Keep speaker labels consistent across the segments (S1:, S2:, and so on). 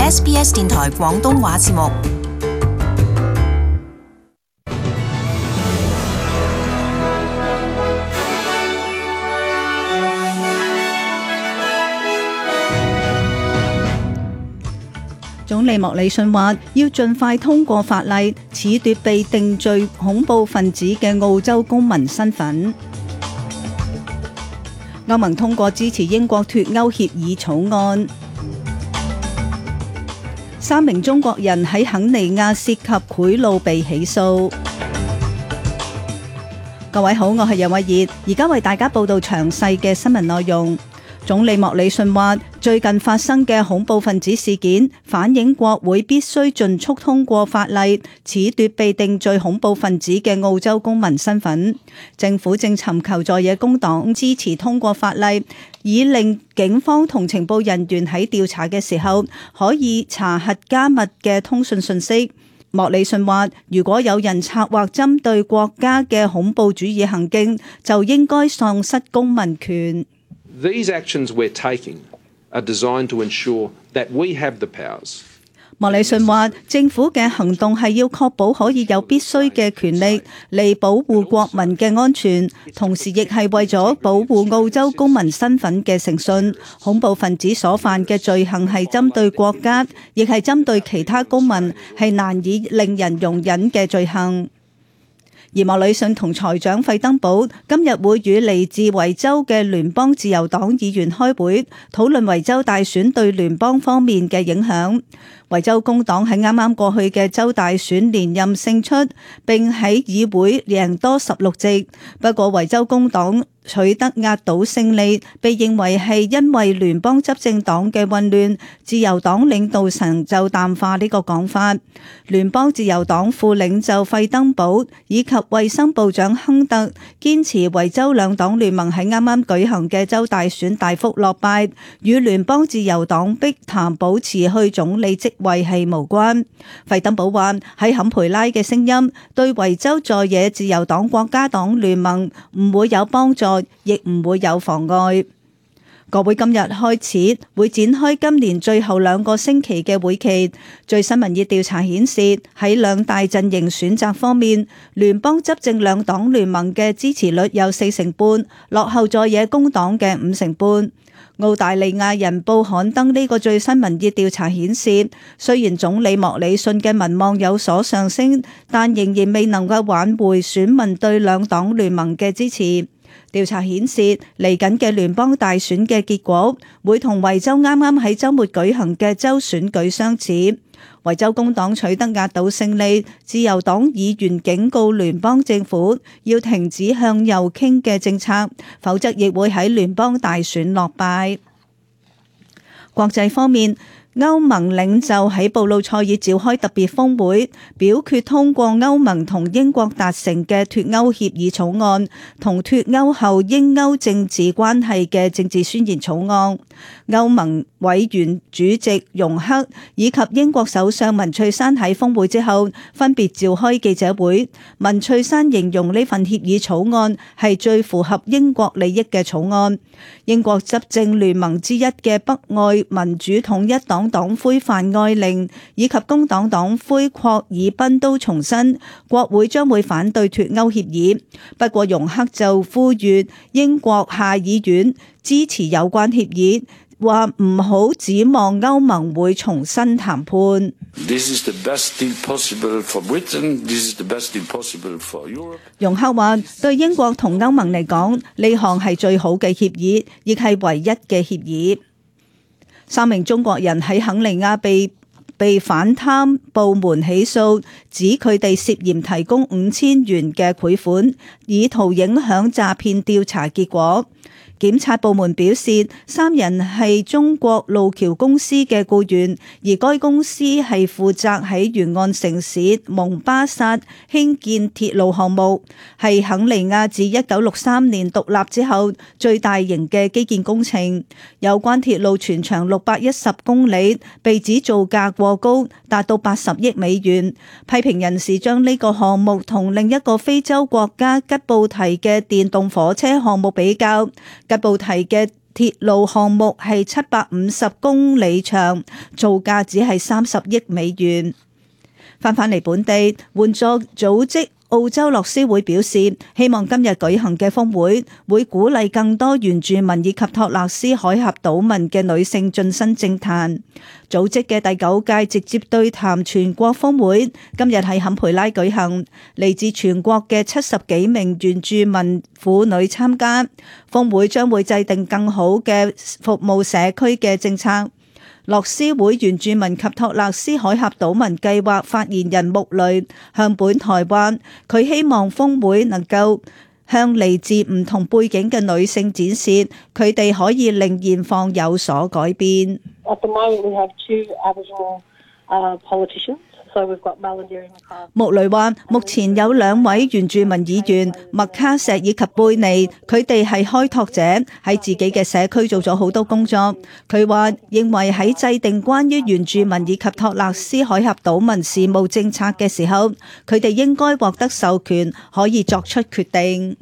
S1: SBS 電台廣東話節目。
S2: 總理莫里遜話要盡快通過法例，褫奪被定罪恐怖分子嘅澳洲公民身份。歐盟通過支持英國脫歐協議草案。3名中國人喺肯尼亞涉及賄賂被起訴。各位好，我係楊慧儀，而家為大家報道詳細嘅新聞內容。總理莫里遜話，最近發生嘅恐怖分子事件反映國會必須盡速通過法例，褫奪被定罪恐怖分子嘅澳洲公民身份。政府正尋求在野工黨支持通過法例，以令警方同情報人員喺調查嘅時候可以查核加密嘅通訊信息。莫里遜話，如果有人策劃針對國家嘅恐怖主義行徑，就應該喪失公民權。
S3: These actions we're taking are designed to ensure that we have the powers.
S2: 莫里遜話，政府嘅行動係要確保可以有必須嘅權力嚟保護國民嘅安全，同時亦係為咗保護澳洲公民身份嘅誠信。恐怖分子所犯嘅罪行係針對國家，亦係針對其他公民，係難以令人容忍嘅罪行。而莫里遜同財長費登堡今日會與嚟自維州嘅聯邦自由黨議員開會，討論維州大選對聯邦方面嘅影響。維州工黨喺啱啱過去嘅州大選連任勝出，並喺議會贏多16席。不過維州工黨取得壓倒勝利，被認為係因為聯邦執政黨嘅混亂。自由黨領導層就淡化呢個講法。聯邦自由黨副領袖費登堡以及衛生部長亨特堅持維州兩黨聯盟喺啱啱舉行嘅州大選大幅落敗，與聯邦自由黨逼談保持去總理職位係無關。費登堡話喺坎培拉嘅聲音對維州在野自由黨國家黨聯盟唔會有幫助，亦唔會有妨礙。國會今日開始會展開今年最後2個星期嘅會期。最新民意調查顯示，喺兩大陣營選擇方面，聯邦執政兩黨聯盟嘅支持率有4成半，落後在野工黨嘅5成半。澳大利亞人報刊登呢個最新民意調查顯示，雖然總理莫里遜嘅民望有所上升，但仍然未能夠挽回選民對兩黨聯盟嘅支持。調查顯示，嚟緊嘅聯邦大選嘅結果會同維州啱啱喺週末舉行嘅州選舉相似。維州工黨取得壓倒勝利，自由黨議員警告聯邦政府要停止向右傾嘅政策，否則亦會喺聯邦大選落敗。國際方面，歐盟領袖喺布魯塞爾召開特別峰會，表決通過歐盟同英國達成嘅脫歐協議草案，同脫歐後英歐政治關係嘅政治宣言草案。歐盟委員主席容克以及英國首相文翠珊喺峰會之後分別召開記者會。文翠珊形容呢份協議草案係最符合英國利益嘅草案。英國執政聯盟之一嘅北愛民主統一黨黨魁范愛玲以及工黨黨魁霍爾賓都重申，國會將會反對脫歐協議。不過容克就呼籲英國下議院支持有關協議，話唔好指望歐盟會重新談判。容克話：對英國同歐盟嚟講，呢項係最好嘅協議，亦係唯一嘅協議。3名中國人喺肯尼亞被反貪部門起訴，指佢哋涉嫌提供5000元嘅賄款，以圖影響詐騙調查結果。檢察部門表示，3人係中國路橋公司嘅僱員，而該公司係負責喺沿岸城市蒙巴薩興建鐵路項目，係肯尼亞自1963年獨立之後最大型嘅基建工程。有關鐵路全長610公里，被指造價過高，達到80億美元。批評人士將呢個項目同另一個非洲國家吉布提嘅電動火車項目比較。吉布提嘅鐵路項目係750公里長，造價只係30億美元。返嚟本地，援助組織澳洲樂施會表示，希望今日舉行嘅峰會會鼓勵更多原住民以及托勒斯海峽島民嘅女性晉身政壇。組織嘅第9屆直接對談全國峰會今日喺坎培拉舉行，嚟自全國嘅70幾名原住民婦女參加。峰會將會制定更好嘅服務社區嘅政策。樂施會原住民及托勒斯海峽島民計劃發言人穆雷向本台話，佢希望峰會能夠向嚟自唔同背景嘅女性展示，佢哋可以令現況有所改變。
S4: At the moment, we have 2 Aboriginal politicians.
S2: 穆雷話：目前有2位原住民議員麥卡錫以及貝尼，佢哋係開拓者，喺自己嘅社區做咗好多工作。佢話認為喺制定關於原住民以及托勒斯海峽島民事務政策嘅時候，佢哋應該獲得授權，可以作出決定。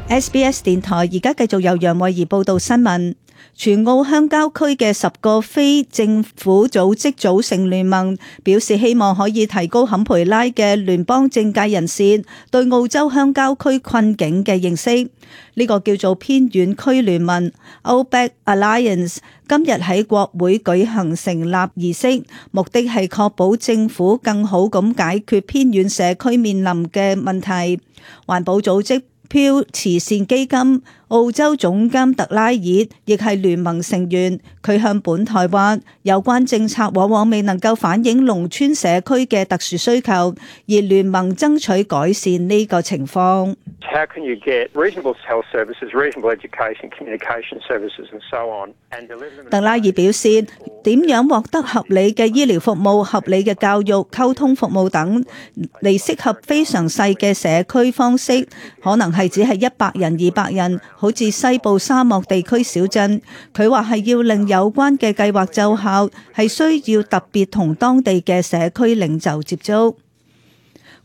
S2: SBS 電台而家繼續由楊慧儀報道新聞。全澳鄉郊區嘅10個非政府組織組成聯盟，表示希望可以提高坎培拉嘅聯邦政界人士對澳洲鄉郊區困境嘅認識。呢個叫做偏遠區聯盟 Outback Alliance 今日喺國會舉行成立儀式，目的係確保政府更好咁解決偏遠社區面臨嘅問題。環保組織漂慈善基金澳洲總監特拉爾亦係聯盟成員，佢向本台話，有關政策往往未能夠反映農村社區嘅特殊需求，而聯盟爭取改善呢個情況。
S5: How can you get reasonable health services, reasonable education, communication services and so on?
S2: 特拉爾表示，點樣獲得合理嘅醫療服務、合理嘅教育、溝通服務等，嚟適合非常細嘅社區方式，可能係只係100人、200人，好似西部沙漠地區小鎮。佢話係要令有關嘅計劃奏效，係需要特別同當地嘅社區領袖接觸。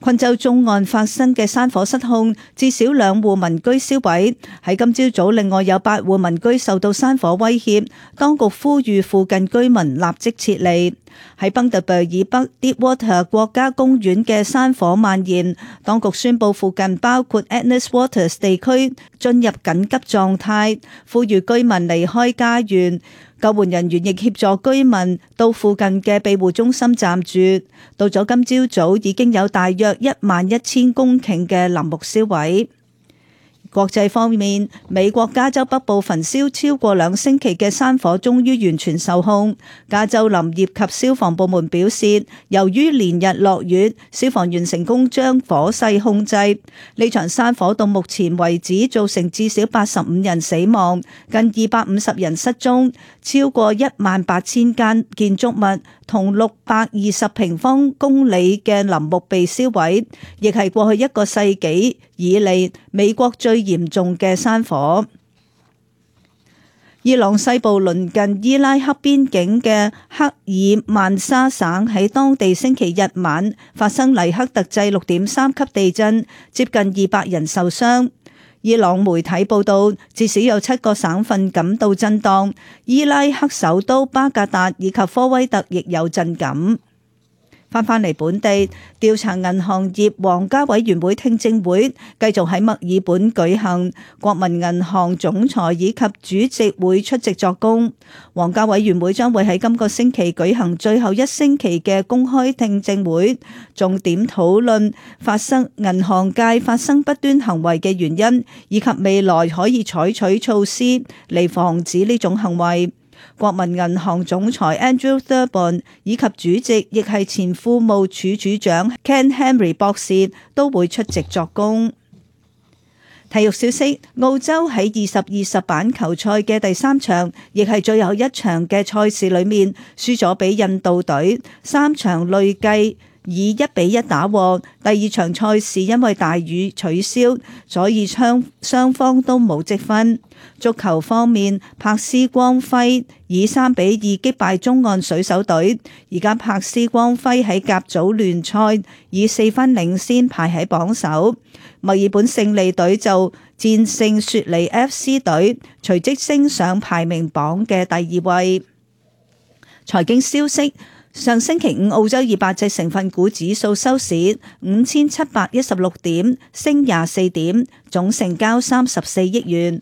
S2: 昆州中岸發生嘅山火失控，至少2戶民居燒毀。喺今朝早，另外有8戶民居受到山火威脅，當局呼籲附近居民立即撤離。喺賓特貝以北 Deepwater 國家公園嘅山火蔓延，當局宣布附近包括 Agnes Waters 地區進入緊急狀態，呼籲居民離開家園。救援人員亦協助居民到附近嘅庇護中心暫住。到咗今朝早，已經有大約11000公頃嘅林木燒毀。國際方面，美國加州北部焚燒超過2星期嘅山火終於完全受控。加州林業及消防部門表示，由於連日落雨，消防員成功將火勢控制。呢場山火到目前為止造成至少85人死亡，近250人失蹤，超過18000間建築物同620平方公里嘅林木被燒毀，亦係過去1個世紀以嚟美國最嚴重嘅山火。伊朗西部鄰近伊拉克邊境嘅克爾曼沙省喺當地星期日晚發生黎克特制6.3級地震，接近200人受傷。伊朗媒體報道，至少有7個省份感到震盪，伊拉克首都巴格達以及科威特亦有震感。翻嚟本地，調查銀行業皇家委員會聽證會繼續喺墨爾本舉行，國民銀行總裁以及主席會出席作供。皇家委員會將會喺今個星期舉行最後1星期嘅公開聽證會，重點討論銀行界發生不端行為嘅原因，以及未來可以採取措施嚟防止呢種行為。國民銀行總裁 Andrew Thurborn 以及主席亦係前庫務處處長 Ken Henry 博士都會出席作供。體育消息，澳洲喺2020板球賽嘅第3場，亦係最後一場嘅賽事裏面，輸咗俾印度隊，3場累計以1-1打和。第二場賽事因為大雨取消，所以雙方都冇積分。足球方面，柏斯光輝以3-2擊敗中岸水手隊，而家柏斯光輝喺甲組聯賽以4分領先排喺榜首。墨爾本勝利隊就戰勝雪梨 FC 隊，隨即升上排名榜嘅第2位。財經消息，上星期五澳洲200隻成分股指數收市5716點，升24點，總成交34億元。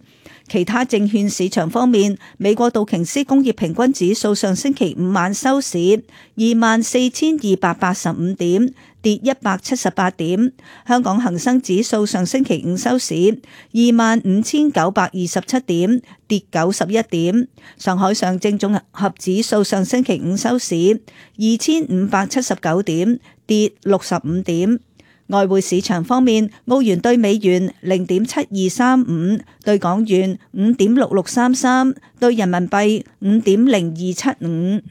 S2: 其他證券市場方面，美國道瓊斯工業平均指數上星期五晚收市24,285點，跌178點。香港恒生指數上星期五收市25,927點，跌91點。上海上證綜合指數上星期五收市2,579點，跌65點。外匯市場方面，澳元兌美元0.7235，兌港元5.6633，兌人民幣5.0275。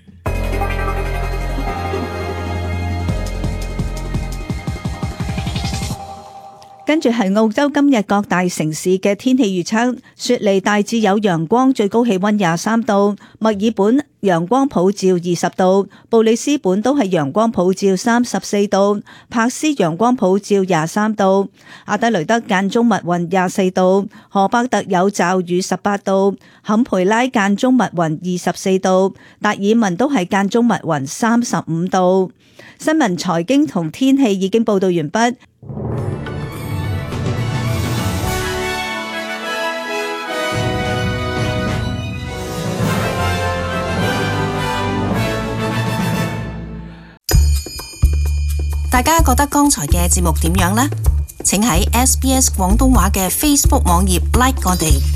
S2: 跟住係澳洲今日各大城市嘅天氣預測：雪梨大致有陽光，最高氣溫23度；墨爾本陽光普照20度；布里斯本都係陽光普照34度；珀斯陽光普照23度；阿德雷德間中密雲24度；荷伯特有驟雨18度；坎培拉間中密雲24度；達爾文都係間中密雲35度。新聞、財經同天氣已經報道完畢。
S1: 大家覺得剛才嘅節目點樣呢？請喺SBS 廣東話嘅 Facebook 網頁 like 我哋。